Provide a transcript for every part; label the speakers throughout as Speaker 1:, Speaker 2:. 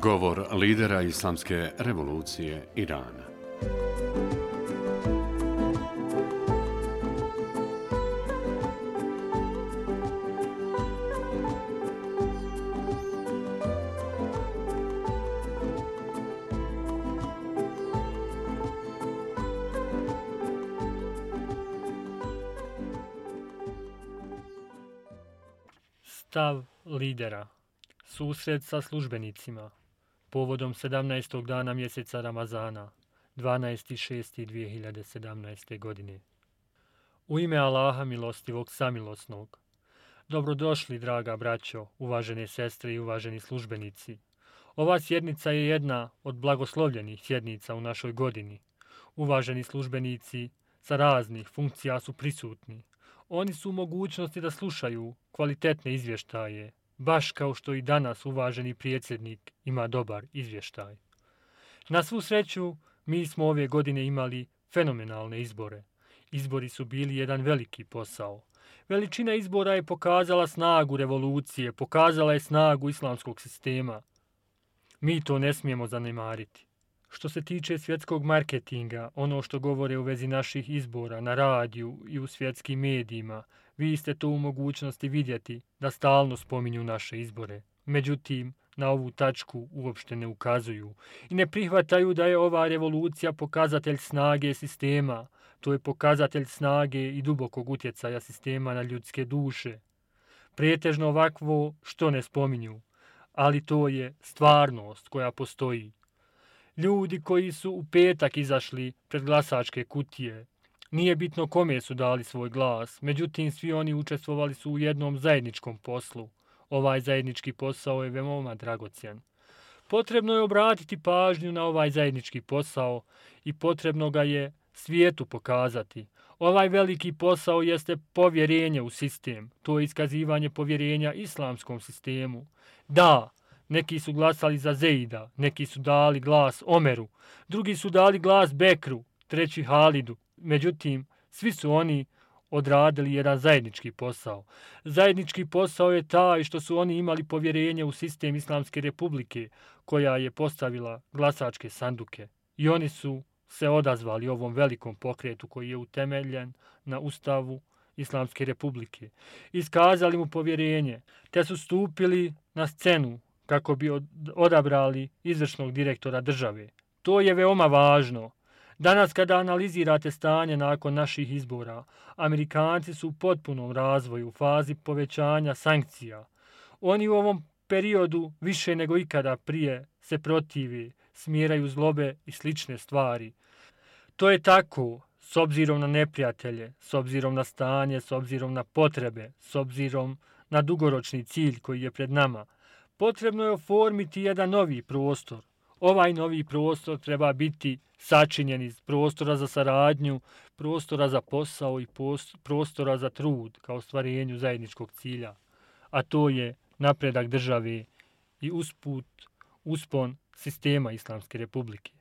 Speaker 1: Govor lidera Islamske revolucije Irana.
Speaker 2: Stav lidera. Susret sa službenicima. Povodom 17. dana mjeseca Ramazana, 12.6.2017. godine. U ime Allaha milostivog samilosnog. Dobrodošli, draga braćo, uvažene sestre i uvaženi službenici. Ova sjednica je jedna od blagoslovljenih sjednica u našoj godini. Uvaženi službenici sa raznih funkcija su prisutni. Oni su u mogućnosti da slušaju kvalitetne izvještaje, baš kao što i danas uvaženi predsjednik ima dobar izvještaj. Na svu sreću, mi smo ove godine imali fenomenalne izbore. Izbori su bili jedan veliki posao. Veličina izbora je pokazala snagu revolucije, pokazala je snagu islamskog sistema. Mi to ne smijemo zanemariti. Što se tiče svjetskog marketinga, ono što govore u vezi naših izbora na radiju i u svjetskim medijima, vi ste to u mogućnosti vidjeti da stalno spominju naše izbore. Međutim, na ovu tačku uopšte ne ukazuju i ne prihvataju da je ova revolucija pokazatelj snage sistema. To je pokazatelj snage i dubokog utjecaja sistema na ljudske duše. Pretežno ovakvo što ne spominju, ali to je stvarnost koja postoji. Ljudi koji su u petak izašli pred glasačke kutije, nije bitno kome su dali svoj glas, međutim svi oni učestvovali su u jednom zajedničkom poslu. Ovaj zajednički posao je veoma dragocjen. Potrebno je obratiti pažnju na ovaj zajednički posao i potrebno ga je svijetu pokazati. Ovaj veliki posao jeste povjerenje u sistem, to je iskazivanje povjerenja islamskom sistemu. Da, neki su glasali za Zeida, neki su dali glas Omeru, drugi su dali glas Bekru, treći Halidu. Međutim, svi su oni odradili jedan zajednički posao. Zajednički posao je taj što su oni imali povjerenje u sistem Islamske republike koja je postavila glasačke sanduke. I oni su se odazvali ovom velikom pokretu koji je utemeljen na Ustavu Islamske republike. Iskazali mu povjerenje, te su stupili na scenu kako bi odabrali izvršnog direktora države. To je veoma važno. Danas kada analizirate stanje nakon naših izbora, Amerikanci su u potpunom razvoju, u fazi povećanja sankcija. Oni u ovom periodu više nego ikada prije se protivi, smjeraju zlobe i slične stvari. To je tako s obzirom na neprijatelje, s obzirom na stanje, s obzirom na potrebe, s obzirom na dugoročni cilj koji je pred nama. Potrebno je oformiti jedan novi prostor. Ovaj novi prostor treba biti sačinjen iz prostora za saradnju, prostora za posao i prostora za trud kao ostvarenju zajedničkog cilja. A to je napredak države i uspon sistema Islamske republike.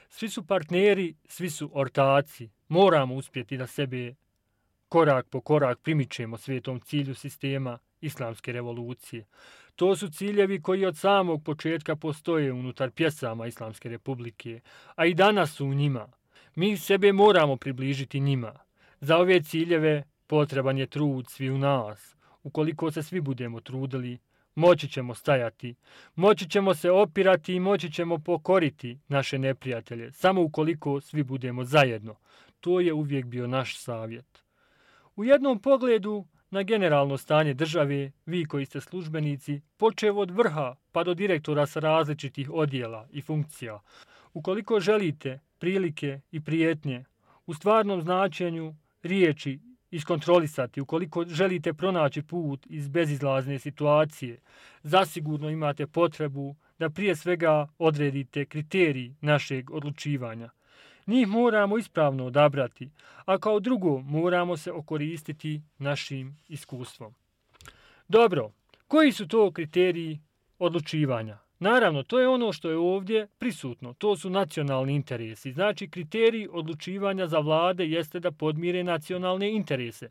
Speaker 2: Svi su partneri, svi su ortaci. Moramo uspjeti da sebe korak po korak primičemo svijetom cilju sistema Islamske revolucije. To su ciljevi koji od samog početka postoje unutar pjesama Islamske republike, a i danas su u njima. Mi sebe moramo približiti njima. Za ove ciljeve potreban je trud svi u nas. Ukoliko se svi budemo trudili, moći ćemo stajati, moći ćemo se opirati i moći ćemo pokoriti naše neprijatelje, samo ukoliko svi budemo zajedno. To je uvijek bio naš savjet. U jednom pogledu na generalno stanje države, vi koji ste službenici, počev od vrha pa do direktora sa različitih odjela i funkcija, ukoliko želite prilike i prijetnje u stvarnom značenju riječi iskontrolisati, ukoliko želite pronaći put iz bezizlazne situacije, zasigurno imate potrebu da prije svega odredite kriterij našeg odlučivanja. Njih moramo ispravno odabrati, a kao drugo moramo se okoristiti našim iskustvom. Dobro, koji su to kriteriji odlučivanja? Naravno, to je ono što je ovdje prisutno. To su nacionalni interesi. Znači, kriterij odlučivanja za vlade jeste da podmire nacionalne interese.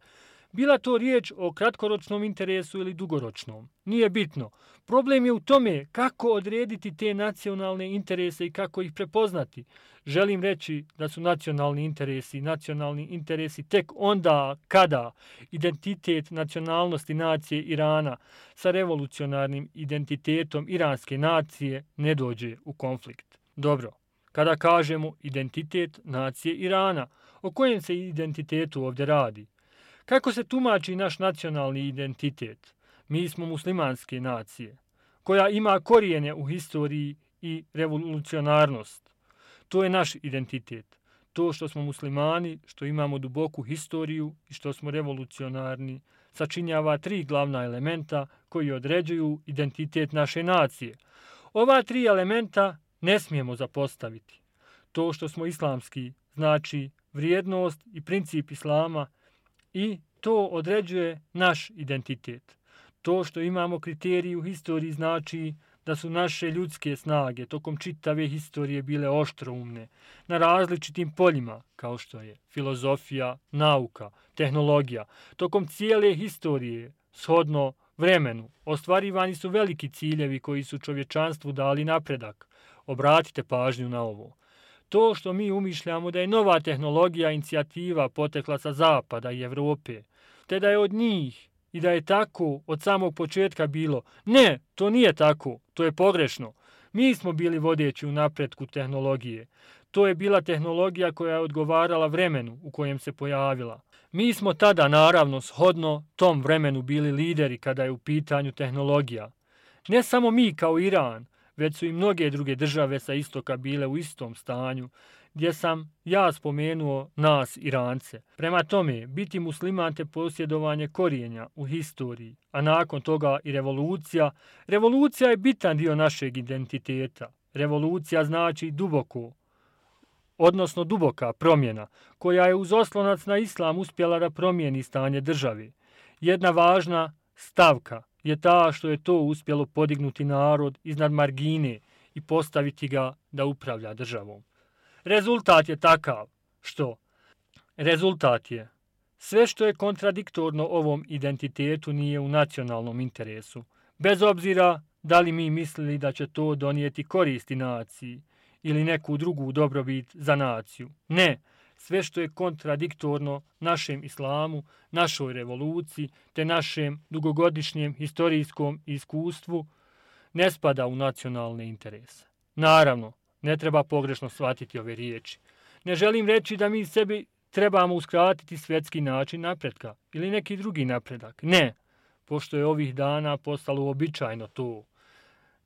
Speaker 2: Bila to riječ o kratkoročnom interesu ili dugoročnom. Nije bitno. Problem je u tome kako odrediti te nacionalne interese i kako ih prepoznati. Želim reći da su nacionalni interesi tek onda kada identitet nacionalnosti nacije Irana sa revolucionarnim identitetom iranske nacije ne dođe u konflikt. Dobro, kada kažemo identitet nacije Irana, o kojem se identitetu ovdje radi? Kako se tumači naš nacionalni identitet? Mi smo muslimanske nacije, koja ima korijene u historiji i revolucionarnost. To je naš identitet. To što smo muslimani, što imamo duboku historiju i što smo revolucionarni, sačinjava 3 glavna elementa koji određuju identitet naše nacije. Ova 3 elementa ne smijemo zapostaviti. To što smo islamski znači vrijednost i princip islama i to određuje naš identitet. To što imamo kriteriju u historiji znači da su naše ljudske snage tokom čitave historije bile oštroumne na različitim poljima, kao što je filozofija, nauka, tehnologija. Tokom cijele historije, shodno vremenu, ostvarivani su veliki ciljevi koji su čovječanstvu dali napredak. Obratite pažnju na ovo. To što mi umišljamo da je nova tehnologija inicijativa potekla sa Zapada i Evrope, te da je od njih i da je tako od samog početka bilo. Ne, to nije tako, to je pogrešno. Mi smo bili vodeći u napretku tehnologije. To je bila tehnologija koja je odgovarala vremenu u kojem se pojavila. Mi smo tada, naravno, shodno tom vremenu bili lideri kada je u pitanju tehnologija. Ne samo mi kao Iran, već su i mnoge druge države sa istoka bile u istom stanju, gdje sam ja spomenuo nas Irance. Prema tome, biti musliman te posjedovanje korijenja u historiji, a nakon toga i revolucija. Revolucija je bitan dio našeg identiteta. Revolucija znači duboka promjena, koja je uz oslonac na islam uspjela da promijeni stanje države. Jedna važna stavka je ta što je to uspjelo podignuti narod iznad margine i postaviti ga da upravlja državom. Rezultat je takav što? Rezultat je sve što je kontradiktorno ovom identitetu nije u nacionalnom interesu, bez obzira da li mi mislili da će to donijeti koristi naciji ili neku drugu dobrobit za naciju. Ne, sve što je kontradiktorno našem islamu, našoj revoluciji te našem dugogodišnjem historijskom iskustvu ne spada u nacionalne interese. Naravno, ne treba pogrešno shvatiti ove riječi. Ne želim reći da mi sebi trebamo uskratiti svjetski način napretka ili neki drugi napredak. Ne, pošto je ovih dana postalo uobičajeno to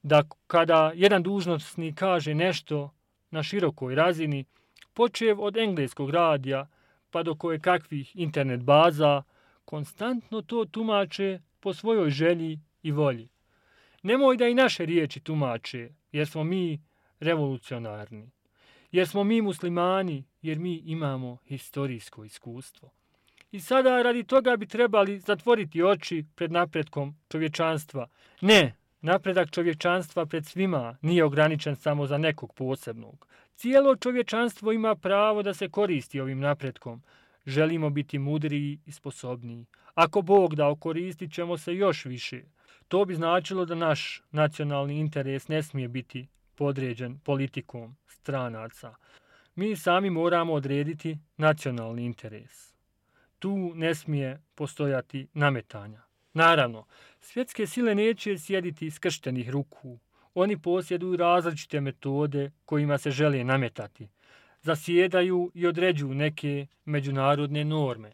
Speaker 2: da kada jedan dužnosnik kaže nešto na širokoj razini, počev od engleskog radija pa do kakvih internet baza, konstantno to tumače po svojoj želji i volji. Nemoj da i naše riječi tumače, jer smo mi revolucionarni, jer smo mi muslimani, jer mi imamo historijsko iskustvo. I sada radi toga bi trebali zatvoriti oči pred napretkom čovječanstva. Ne, napredak čovječanstva pred svima nije ograničen samo za nekog posebnog. Cijelo čovječanstvo ima pravo da se koristi ovim napretkom. Želimo biti mudriji i sposobniji. Ako Bog da, koristit ćemo se još više. To bi značilo da naš nacionalni interes ne smije biti podređen politikom stranaca. Mi sami moramo odrediti nacionalni interes. Tu ne smije postojati nametanja. Naravno, svjetske sile neće sjediti skrštenih ruku. Oni posjeduju različite metode kojima se žele nametati. Zasjedaju i određuju neke međunarodne norme.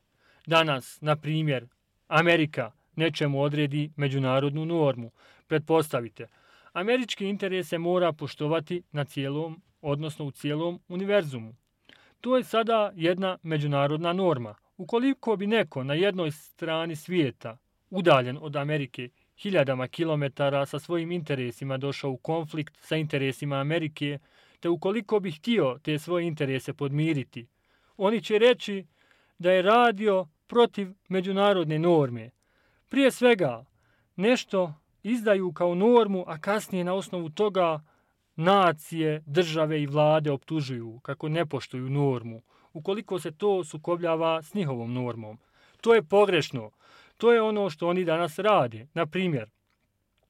Speaker 2: Danas, na primjer, Amerika nečemu odredi međunarodnu normu. Pretpostavite, američki interes se mora poštovati na cijelom, odnosno u cijelom univerzumu. To je sada jedna međunarodna norma. Ukoliko bi neko na jednoj strani svijeta, udaljen od Amerike hiljadama kilometara, sa svojim interesima došao u konflikt sa interesima Amerike, te ukoliko bi htio te svoje interese podmiriti, oni će reći da je radio protiv međunarodne norme. Prije svega, nešto izdaju kao normu, a kasnije na osnovu toga nacije, države i vlade optužuju kako ne poštuju normu, ukoliko se to sukobljava s njihovom normom. To je pogrešno. To je ono što oni danas rade. Na primjer,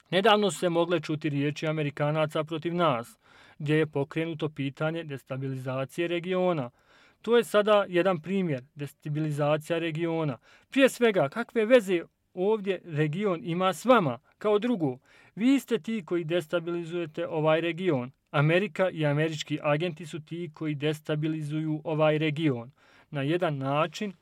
Speaker 2: nedavno su se mogle čuti riječi Amerikanaca protiv nas, gdje je pokrenuto pitanje destabilizacije regiona. To je sada jedan primjer, destabilizacija regiona. Prije svega, kakve veze ovdje region ima s vama? Kao drugo, vi ste ti koji destabilizujete ovaj region. Amerika i američki agenti su ti koji destabilizuju ovaj region. Na jedan način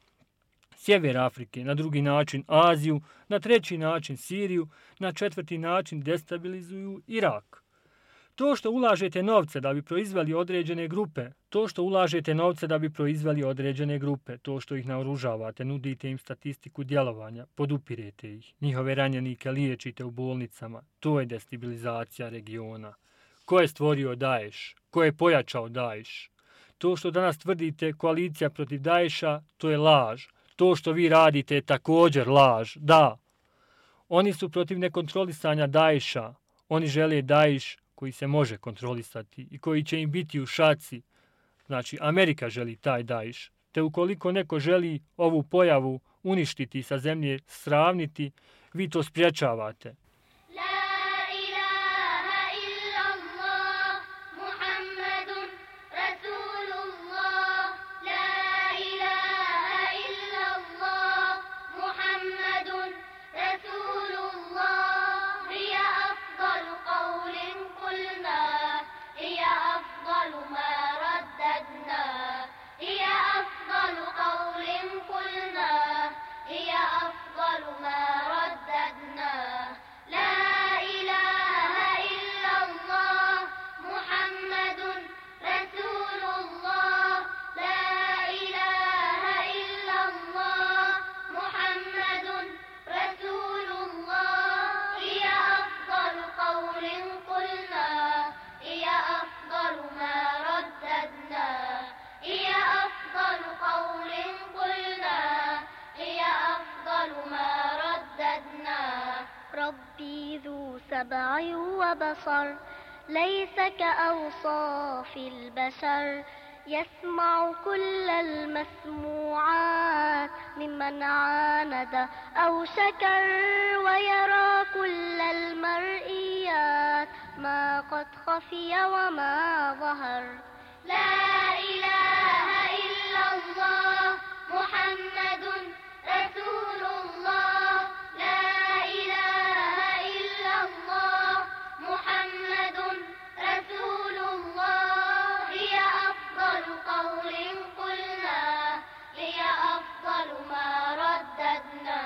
Speaker 2: sjever Afrike, na drugi način Aziju, na treći način Siriju, na četvrti način destabilizuju Irak. To što ulažete novce da bi proizveli određene grupe, to što ih naoružavate, nudite im statistiku djelovanja, podupirete ih, njihove ranjenike liječite u bolnicama, to je destabilizacija regiona. Ko je stvorio Daesh? Ko je pojačao Daesh? To što danas tvrdite koalicija protiv Daesha, to je laž. To što vi radite je također laž. Da, oni su protiv nekontrolisanja Daesha. Oni žele Daesh koji se može kontrolisati i koji će im biti u šaci. Znači, Amerika želi taj Daesh. Te ukoliko neko želi ovu pojavu uništiti sa zemlje, sravniti, vi to spriječavate.
Speaker 3: سبع وبصر ليس كأوصاف البشر يسمع كل المسموعات ممن عاند أو شكر ويرى كل المرئيات ما قد خفي وما ظهر لا إله إلا الله محمد رسول الله لا إله إلا الله محمد رسول الله هي أفضل قول قلنا هي أفضل ما رددنا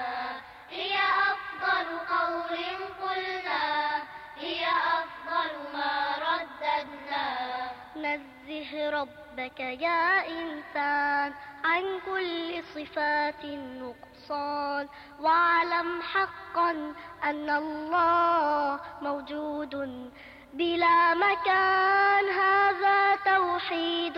Speaker 3: هي أفضل قول قلنا هي أفضل ما رددنا نزه ربك يا إنسان عن كل صفات النقصان واعلم حقا أن الله موجود بلا مكان هذا توحيد